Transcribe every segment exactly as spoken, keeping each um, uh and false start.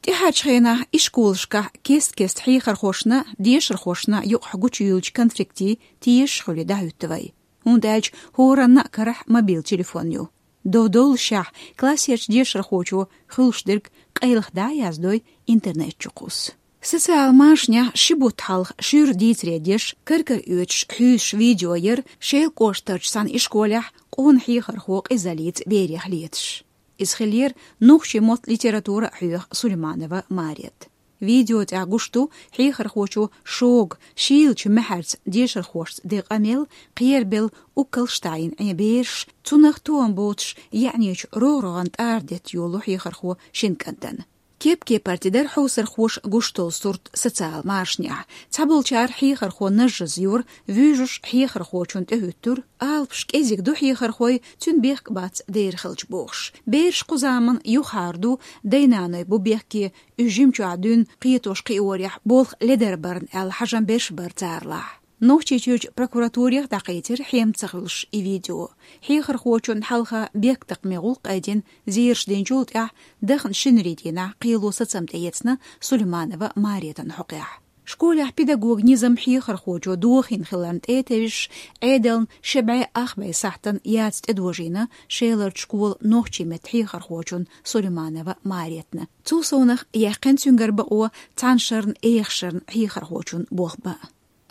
ТӀаьхьарчу хенахь ишколашкахь кест-кеста хьехархошна, дешархошна юкъахь гучуйуьллучу конфликтийн тешаш хуьлий дӀахӀуьтту вай. ХӀунда аьлча хӀоранна а карахь мобил телефон ю. Дов-довллашехь классерчу дешархочо хуьлуш дерг къайлаха дӀа а яздой интернет чу кхуссу. Социал машанехь ши бутт хьалха шуьйра дийцаре деш, кар-кара оьцуш хьуьйсуш видео яра Шелан кӀоштарчу цхьана ишколехь къона хьехархо къизаллица берех леташ. Иза хиллера нохчийн мотт, литература а хьоьху Сулейманова Марета. Видео тӀехь гуш ду хьехархочо шога, шийлачу маьхьарца дешархошца ден къамел, кхерабелла уккалш таӀийна Ӏен бераш, цунах тоам боцуш, яьӀнечу рогӀ-рогӀан тӀара детта йолу хьехархо шина кӀантана. Кеп-кепара тидара хьовсархоша гуш долу сурт социал машанехь. Цхьаболчара хьехархо нажжаза йора, вуьйжуш хьехархочунна тӀехӀуьттура, алапаш кӀезиг ду хьехархойн, цуьнан бехк бац дера хилча бохуш. Бераш кхузаман юххьара ду, дай-наной бу бехке, уьш жимчохь дуьйна кхетош-кхиорехь болх ледарбарна аьлла хьажам берш бара царалахь. Нохчийчуьрчу прокуратурех дӀакхийцира хьем ца хуьлуш и видео. Хьехархочунна хьалха бехктакхаме гӀуллакх къайдина, зераш динчул тӀаьхьа дахана шинарин дийнахь кхело сацам тӀеэцна Сулейманова Маретан хьокъехь. Школехь педагоган низам хьехархочо дохийна хиларна тӀе а тевжаш, Ӏедална ши бӀе ах бӀе сахьтана яц тӀедожийна Шеларчу школан нохчийн меттан хьехархочунна Сулейманова Маретана. Цул совнах яьккхина цуьнгара бакъо цхьана шарна, эха шарна хьехархочун болх бан.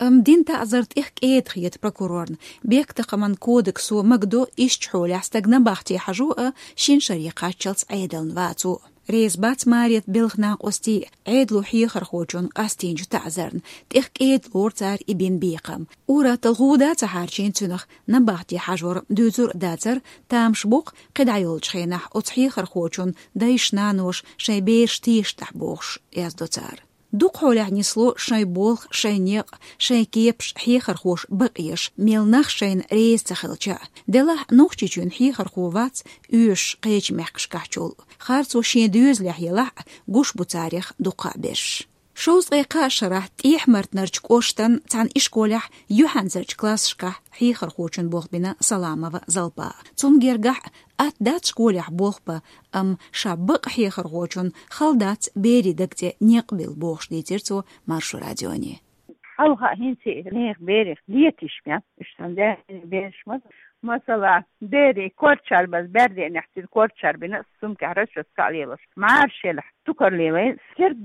Амма дина таӀзар тӀех кӀеда хета прокурорна. Бехктакхаман кодексо магадо ишттачу хьолехь стаг набахте хьажо а, шина шаре кхаччалц Ӏедална вацо. Реза бац Марета белхан накъостий Ӏедало хьехархочунна къастийначу таӀзарна, тӀех кӀеда лору цара и бина бекхам. Ур-атталла гӀуда а ца хьарчийна цуьнах, набахте хьажор дуьйцур а дацара, тамаш боккху кхидӀа йолчу хенахь оцу хьехархочун дайша-наноша шайн бераш тешаш дахь бохуш, яздо цара. Дукха хьолехь нисло шайн болх, шайн некъ, шайн кепаш хьехархоша бакъеш, мел нах шайна реза ца хилча а. Делахь Нохчийчоьнан хьехархо вац оьшуш кхечу мехкашкахьчул. Харцо шен доьзалехь елахь а, гуш бу царех дуккха а берш. Шовзткъе кхаа шарахь ТӀехьа-Мартанарчу кӀоштан цхьана ишколехь юьхьанцарчу классашкахь хьехархочун болх бина Саламова Залпа. Цунна гергахь а, атта дац школехь болх бан, амма ша бакъ хьехархочун хала дац берийн даг тӀе некъ билла бохуш, дийцира цо Маршо радионе. Хьалха хӀинца а нехан берех летийша мел, уьш сан дерриг бераш ма, масала, берийн корчар база, бер денехь цуьнан корчар бина, сумкехь расчётка а лелош, мӀараш елахь, цукар лелайна, стирд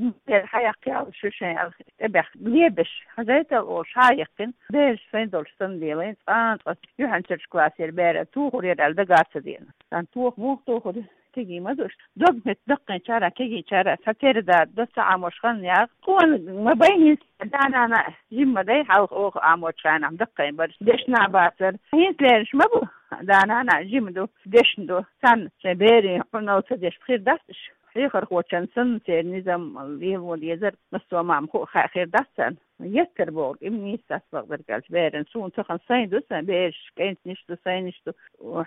хьаяккха ял шу шайн алхи тӀебех лебеш, хьажайтал олуш, хьа а яьккхина, бераш сайн долуш санна лелайна, цкъа-цкъа юьхьанцарчу классера бер а тухур яра аьлла дага а ца деана. Сан тоха муха тухур ю? Кегий ма ду уьш. Дог-меттиг даккхийначара, кегийчара, сан тера да, ца Ӏамош хан яха. Къона ма бай хӀинца, да-нана жима ма дай, хьалха оха Ӏамочу хенахь даккхийна бара, дешна а бацара. ХӀинца лераш ма бу, да-нана жима ду, дешна ду. Царна шайн берийн хьунал ца деш хир дац уьш. Хьехархочун санна церан низам лело дезара, массо а мама хуу хаа хир дац царна. Еттар боху, им нийса сацбакъдерг аьлча беран. Суна цахана сайн ду, сайн бераш, кӀентаниш ду, сайниш ду,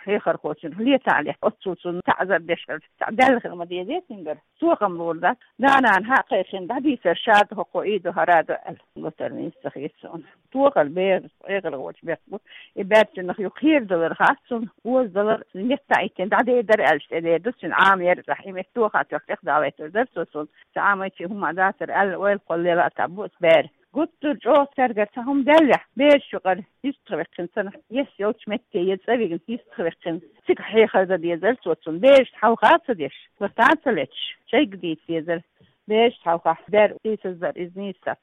хьехархочун летахь ле, оццул цунна таӀзар деш хилча, цхьа даьлла хила ма дезий цуьнгара. Цо хам лур дац. Да-нана хьа а кхайкхина, дӀадийцар, ша ду хӀокхо, и ду, хӀара ду аьлла. Латар нийса ца хета суна. Тохар бер, хьехархочун бехк бу. И бер цунах юха кхерадалар хац цунна, озадалар, метта а йиттина, дӀадер дара аьлча, тӀедер ду, цуьнан Ӏама яра цӀахь, и метта тоха тоьхна тӀехдалийтур дара цо суна. Сан Ӏамайчи хӀума дацара аьлла, ойла кхолла лела а тӀаббу аса бер. Гуттар чӀогӀа цаьргара цхьа хӀума даьллехь, бераш юкъара йистхваьккхина санна, ес йолчу метте я цӀа вигна йистхваьккхина, цига хьехар дан дезара цо цунна, берашна хьалха а ца деш, лата а ца леташ, шайга дийца дезара, берашна хьалха бер сийсаздар иза нийса дац.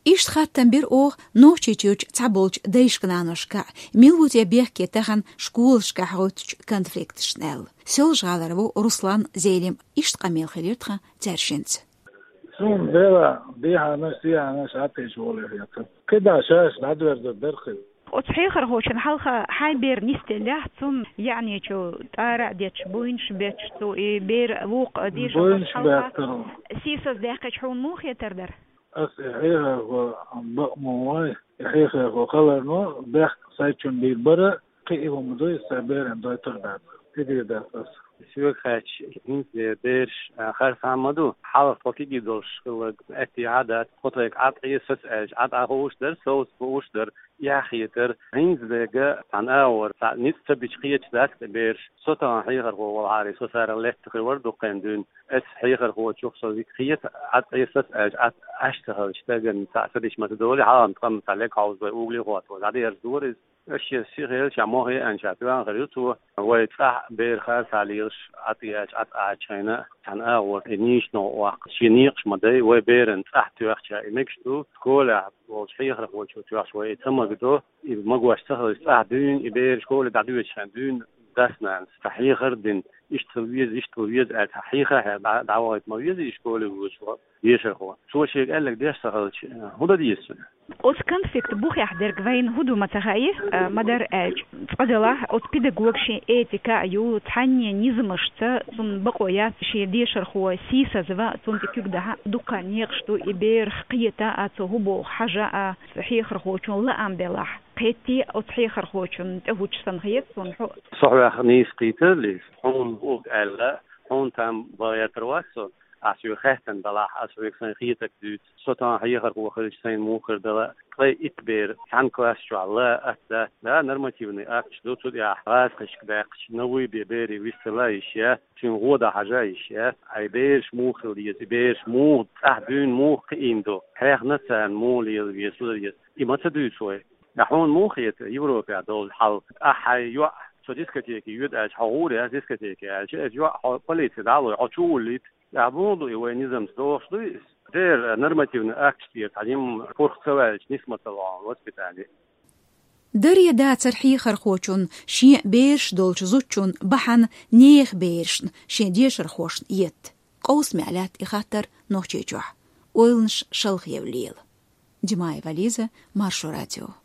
Иштта хаттам бира оха Нохчийчуьрчу цхьаболчу дайшка-наношка, мила ву те бехке тахана школашкахь гӀуьттучу конфликташна аьлла. Соьлжа-ГӀалара ву Руслан Зелим, иштта къамел хилира тхан цаьршинца. Суна дела, дехьанаш, сехьанаш, Ӏатеш волу хета. КхидӀа шаьш дӀадоьрзур дара хила. Оцу хьехархочун хьалха хьайн бер нисделлехь, цунна яьӀнечу тӀара а детташ, буйнаш а бетташ, цо и бер вукху а дешархочун хьалха сийсаз даьккхича хьуна муха хетар дара? Ас и хьехархо бакъ ма вай, и хьехархо хиларна бехк сайчунна бийр бара, кхин и хӀума дуй, сайн беран дойтур дац. Тидийр дац ас. Соьга хаьттича, хӀинца бераш, а, харцахьа ма ду. Хьалха тхо кегий долуш хилларг аьттехьа а дац. Тхо тхайга Ӏад Ӏе, соц аьлча, Ӏад Ӏа хууш дара, совца хууш дара, эхь хетара. ХӀинца дерг цхьана агӀор, цхьа ницкъ ца бича кхеташ дац тӀе бераш. Со тахана хьехархо волахьара, со царах лаьтта хир вара дуккха хан дуьйна. Ас хьехархочух со хета, Ӏад Ӏе, соц аьлча, Ӏад Ӏаш ца хилча, стагана цхьаъ ца дича ма ца долий, хьалха тхам цхьа лег хьовзабай угли хӀоттаван, дӀадерза дора иза. Аш шен сиха елча, мохе а аьнча, тоьхна хир ю цо. Вай цӀахь берах харцахьа лелаш, Ӏад Ӏе аьлча, Ӏад Ӏача хенахь, цхьана агӀор, и нийсачу новкъа ваккха. Шен некъаш ма дай, вай беран цӀахь тоьхча, и мегаш ду, школехь волчу хьехархочо тоьхча, вай и ца магадо, и магош ца хилча, цӀахь дуьйна, и бер школе дӀадоьдучу хенахь дуьйна, дас-нанас, цхьа хьехар а дина, иштта хила веза, иштта хила веза аьлла, цхьа хьехархьа дӀа-, дӀавахийта ма веза и школе воьдуш волу дешархо. Цо шега аьлларг деш ца хилча, хӀун дан деза цуьнан? Оцу конфликт бухехь дерг вайна хӀун ду ма ца хаьий, а, ма-дарра аьлча. Цкъа-делахь, оцу педагога шен этика а ю, цхьанне низамашца цунна бакъо яц шен дешархо сийсазван, цунна тӀе куьг дахьа. Дуккха некъаш ду и берах кхета а, цо хӀун боху хьажа а, хьехархочун лаам белахь. Кхетий, оцу хьехархочунна тӀе хӀуттуш санна хета суна хьо. Со хьох нийса кхийтар иза, хьуна хӀуъа аьлла, хьуна там бан гӀертар вац со. Ас хьоьга хаьттина делахь, ас хьоьга сайн хетарг дуьйцу. Со тахана хьехархо хилча, сайна муха хир дала, ткъе итт бер цхьана класс чохь ла, атта, да, нормативный акташ ду, цу тӀехь гӀазкхашка даьккхича, новый бе берий вистала йиш я, цуьнан гӀо дан хьажа йиш я, ай бераш муха хила деза, и бераш муха цӀахь дуьйна муха кхиийна ду, хьехна царна муха лела веза, хӀун дан деза, и ма ца дуьйцу вай. Ткъа хьуна муха хета Европехь долу хьал? Ахь хьайн йоӀ со дискотеке йоьду аьлча, хьо гӀур яц дискотеке аьлча, иза йоӀ хьо полице дӀа а лой, хьо чу а вуллуьйту. Ахь муха ду и, вай низамца догӀуш дуй иза? Дера нормативный акташ тӀера цхьа нима пурх ца ваьлча, нисма ца ло воспитание. Даре дацара хьехархочун шен бераш долчу зудчун бахьана нехан берашна шен дешархошна етта. Къовсамехь лаьтта и хаттар Нохчийчохь. Ойланаш шалха евлла. Димаева Лиза, Маршо радио.